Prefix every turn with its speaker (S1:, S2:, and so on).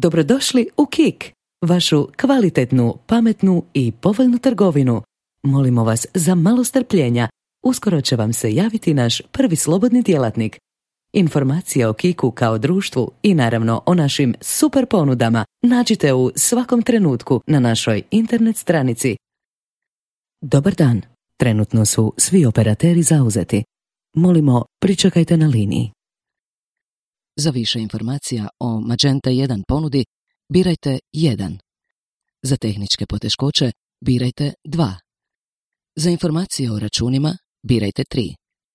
S1: Dobrodošli u KIK, vašu kvalitetnu, pametnu i povoljnu trgovinu. Molimo vas za malo strpljenja, uskoro će vam se javiti naš prvi slobodni djelatnik. Informacije o KIK-u kao društvu i naravno o našim super ponudama nađite u svakom trenutku na našoj internet stranici. Dobar dan, trenutno su svi operateri zauzeti. Molimo, pričekajte na liniji. Za više informacija o Magenta 1 ponudi, birajte 1. Za tehničke poteškoće, birajte 2. Za informacije o računima, birajte 3.